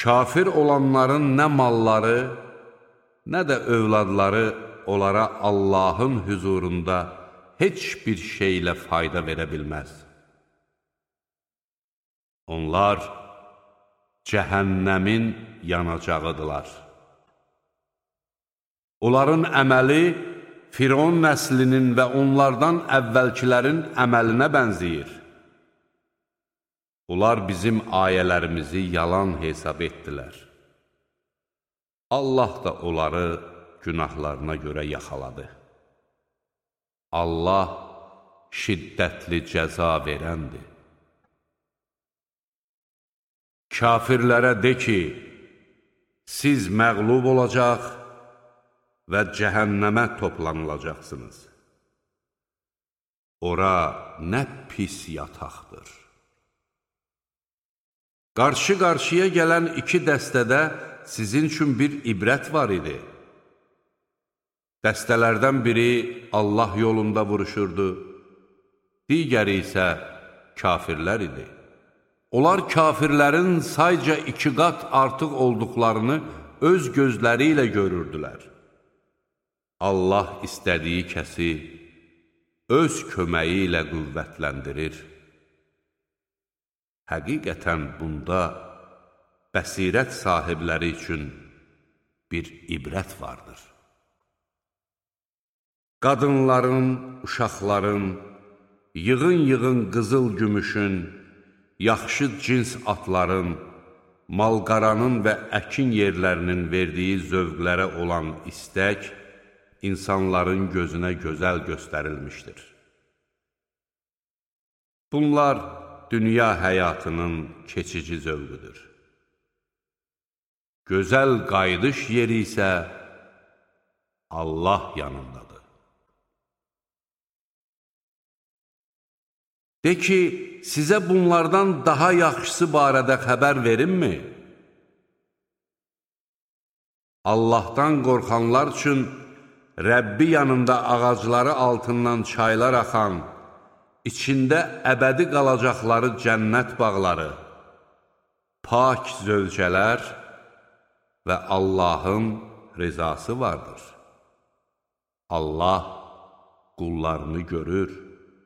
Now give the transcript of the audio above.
Kafir olanların nə malları, nə də övladları onlara Allahın hüzurunda heç bir şeylə fayda verə bilməz. Onlar cəhənnəmin yanacağıdırlar. Onların əməli Firon nəslinin və onlardan əvvəlkilərin əməlinə bənzəyir. Onlar bizim ayələrimizi yalan hesab etdilər. Allah da onları günahlarına görə yaxaladı. Allah şiddətli cəza verəndir. Kafirlərə de ki, siz məğlub olacaq və cəhənnəmə toplanılacaqsınız. Ora nə pis yataqdır. Qarşı-qarşıya gələn iki dəstədə sizin üçün bir ibrət var idi. Dəstələrdən biri Allah yolunda vuruşurdu, digəri isə kafirlər idi. Onlar kafirlərin sayca 2 qat artıq olduqlarını öz gözləri ilə görürdülər. Allah istədiyi kəsi öz köməyi ilə qüvvətləndirir. Həqiqətən bunda bəsirət sahibləri üçün bir ibrət vardır. Qadınların, uşaqların, yığın-yığın qızıl gümüşün, yaxşı cins atların, malqaranın və əkin yerlərinin verdiyi zövqlərə olan istək, insanların gözünə gözəl göstərilmişdir. Bunlar dünya həyatının keçici zövqüdür. Gözəl qayıdış yeri isə Allah yanındadır. De ki, sizə bunlardan daha yaxşısı barədə xəbər verimmi? Allahdan qorxanlar üçün Rəbbi yanında ağacları altından çaylar axan, içində əbədi qalacaqları cənnət bağları, pak zövcələr və Allahın rizası vardır. Allah qullarını görür.